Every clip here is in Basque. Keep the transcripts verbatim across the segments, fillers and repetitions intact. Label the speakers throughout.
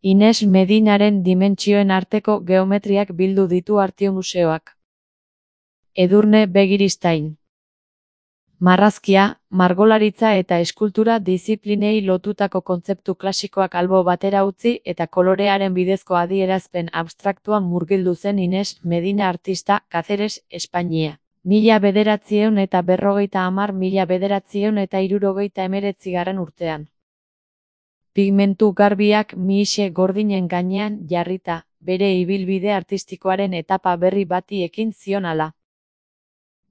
Speaker 1: Ines Medinaren dimentsioen arteko geometriak bildu ditu Artium Museoak. Edurne Begiristain. Marrazkia, margolaritza eta eskultura diziplinei lotutako kontzeptu klasikoak albo batera utzi eta kolorearen bidezko adierazpen abstraktuan murgildu zen Ines Medina artista, Cáceres, Espainia. Mila bederatziehun eta berrogeita hamar mila bederatziehun eta hirurogeita hemeretzigarren urtean. Pigmentu garbiak mihixe gordinen gainean jarrita, bere ibilbide artistikoaren etapa berri bati ekin zion ala.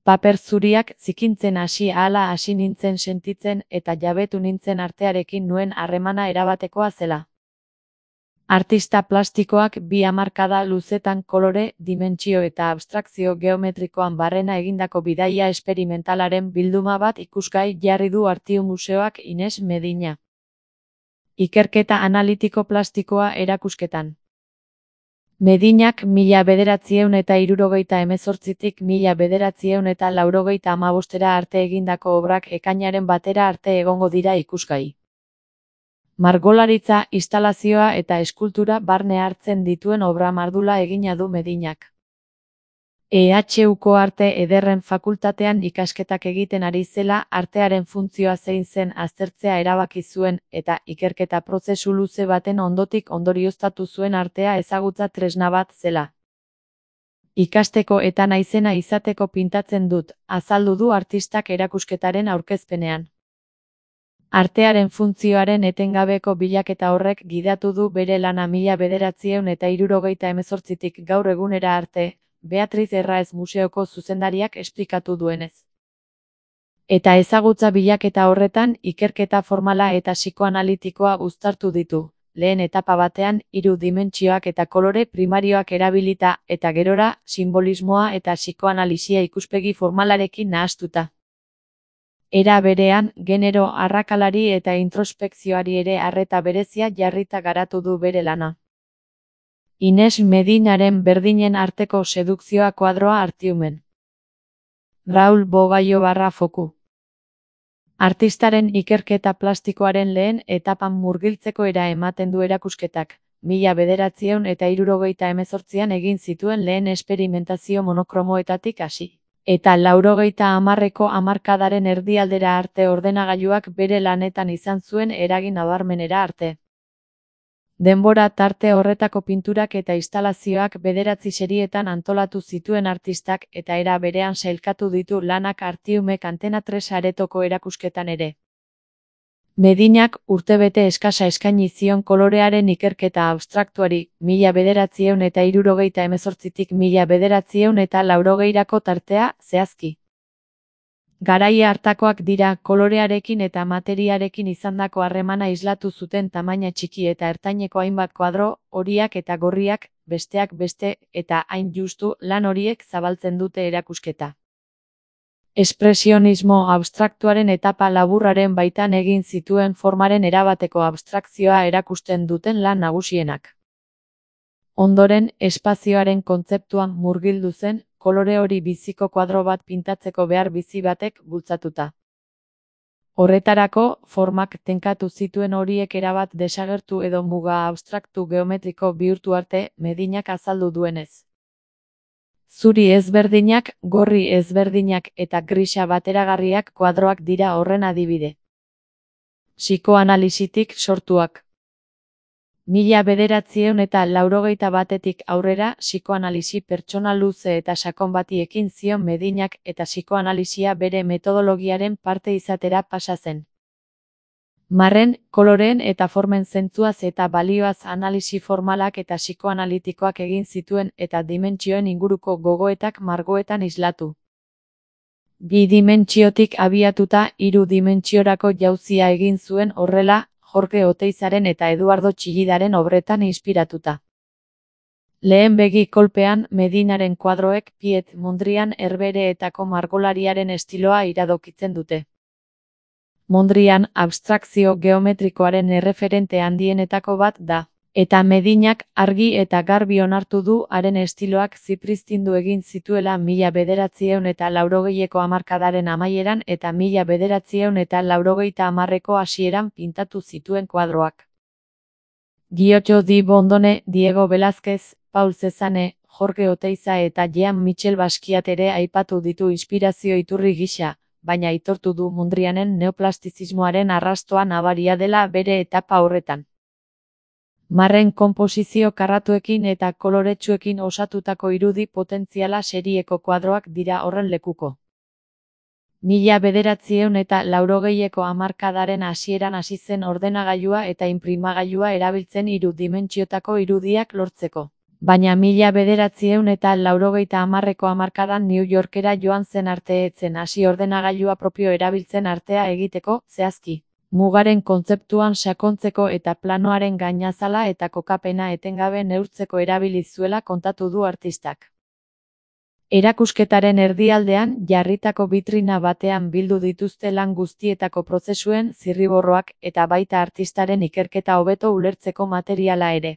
Speaker 1: Paper zuriak zikintzen hasi ahala hasi nintzen sentitzen eta jabetu nintzen artearekin nuen harremana erabatekoa zela. Artista plastikoak bi hamarkada luzetan kolore, dimentsio eta abstrakzio geometrikoan barrena egindako bidaia esperimentalaren bilduma bat ikusgai jarri du Artium Museoak Ines Medina. Ikerketa analitiko plastikoa erakusketan. Medinak mila bederatziehun eta hirurogeita hemezortzitik mila bederatziehun eta laurogeita hamabostera arte egindako obrak ekainaren batera arte egongo dira ikusgai. Margolaritza, instalazioa eta eskultura barne hartzen dituen obra mardula egina du Medinak. E H Uko Arte Ederren Fakultatean ikasketak egiten ari zela artearen funtzioa zein zen aztertzea erabaki zuen eta ikerketa prozesu luze baten ondotik ondorioztatu zuen artea ezagutza tresna bat zela. Ikasteko eta naizena izateko pintatzen dut, azaldu du artistak erakusketaren aurkezpenean. Artearen funtzioaren etengabeko bilaketa horrek gidatu du bere lana mila bederatziehun eta hirurogeita hemezortzitik gaur egunera arte, Beatriz Erraez Museoko zuzendariak esplikatu duenez. Eta ezagutza bilaketa horretan ikerketa formala eta psikoanalitikoa uztartu ditu, lehen etapa batean hiru dimentsioak eta kolore primarioak erabilita eta gerora sinbolismoa eta psikoanalisia ikuspegi formalarekin nahastuta. Era berean, genero arrakalari eta introspekzioari ere arreta berezia jarrita garatu du bere lana. Ines Medinaren berdinen arteko sedukzioa kuadroa Artiumen. Raul Bogaio barra foku. Artistaren ikerketa plastikoaren lehen etapan murgiltzeko era ematen du erakusketak, mila bederatziehun eta hirurogeita hemezortzian egin zituen lehen esperimentazio monokromoetatik hasi. Eta laurogeita hamarreko hamarkadaren erdialdera arte ordenagailuak bere lanetan izan zuen eragin nabarmenera arte. Denbora tarte horretako pinturak eta instalazioak bederatzi serietan antolatu zituen artistak eta era berean sailkatu ditu lanak Artiumek Antena tres aretoko erakusketan ere. Medinak urtebete eskasa eskaini zion kolorearen ikerketa abstraktuari, mila bederatziehun eta hirurogeita hemezortzitik mila bederatziehun eta laurogeirako tartea zehazki. Garai hartakoak dira kolorearekin eta materiarekin izandako harremana islatu zuten tamaina txiki eta ertaineko hainbat kuadro, horiak eta gorriak, besteak beste, eta hain justu lan horiek zabaltzen dute erakusketa. Espresionismo abstraktuaren etapa laburraren baitan egin zituen formaren erabateko abstrakzioa erakusten duten lan nagusienak. Ondoren, espazioaren kontzeptuan murgildu zen, kolore hori biziko kuadro bat pintatzeko behar bizi batek bultzatuta. Horretarako, formak tenkatu zituen horiek erabat desagertu edo muga abstraktu geometriko bihurtu arte Medinak azaldu duenez. Zuri ezberdinak, gorri ezberdinak eta grisa bateragarriak kuadroak dira horren adibide. Psikoanalisitik sortuak. Mila bederatziehun eta laurogeita batetik aurrera psikoanalisi pertsona luze eta sakon bati ekin zion Medinak eta psikoanalisia bere metodologiaren parte izatera pasa zen. Marren, koloreen eta formen zentzuaz eta balioaz analisi formalak eta psikoanalitikoak egin zituen eta dimentsioen inguruko gogoetak margoetan islatu. Bi dimentsiotik abiatuta hiru dimentsiorako jauzia egin zuen horrela, Jorge Oteizaren eta Eduardo Chillidaren obretan inspiratuta. Lehen begi kolpean Medinaren kuadroek Piet Mondrian Herbehereetako margolariaren estiloa iradokitzen dute. Mondrian abstrakzio geometrikoaren erreferente handienetako bat da, eta Medinak argi eta garbi onartu du haren estiloak zipriztindu egin zituela mila bederatziehun eta laurogeieko hamarkadaren amaieran eta mila bederatziehun eta laurogeita hamarreko hasieran pintatu zituen kuadroak. Giotto di Bondone, Diego Velázquez, Paul Cézanne, Jorge Oteiza eta Jean-Michel Basquiat ere aipatu ditu inspirazio iturri gisa, baina aitortu du Mondrianen neoplastizismoaren arrastoa nabaria dela bere etapa horretan. Marren konposizio karratuekin eta koloretsuekin osatutako irudi potentziala serieko kuadroak dira horren lekuko. Mila bederatziehun eta laurogeieko hamarkadaren hasieran hasi zen ordenagailua eta inprimagailua erabiltzen hiru dimentsiotako irudiak lortzeko. Baina mila bederatziehun eta laurogeita hamarreko hamarkadan New Yorkera joan zen arte ez zen hasi ordenagailua propio erabiltzen artea egiteko, zehazki. Mugaren kontzeptuan sakontzeko eta planoaren gainazala eta kokapena etengabe neurtzeko erabili zuela kontatu du artistak. Erakusketaren erdialdean jarritako bitrina batean bildu dituzte lan guztietako prozesuen zirriborroak eta baita artistaren ikerketa hobeto ulertzeko materiala ere.